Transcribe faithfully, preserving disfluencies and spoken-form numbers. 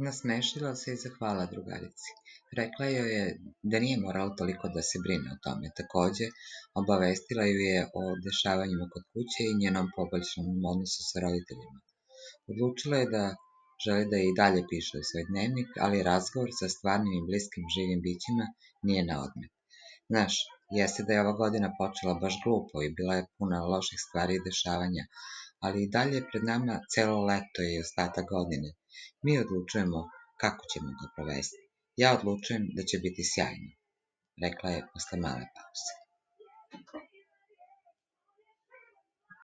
Nasmešila se i zahvalila drugarici. Rekla joj je da nije morala toliko da se brine o tome. Takođe, obavestila ju je o dešavanjima kod kuće i njenom poboljšanom odnosu sa roditeljima. Odlučila je da želi da i dalje piše u svoj dnevnik, ali razgovor sa stvarnim i bliskim živim bićima nije na odmet. Znaš, jeste da je ova godina počela baš glupo i bila je puna loših stvari i dešavanja, ali i dalje je pred nama celo leto i ostatak godine. Mi odlučujemo kako ćemo ga provesti. Ja odlučujem da će biti sjajno, rekla je posle male pauze.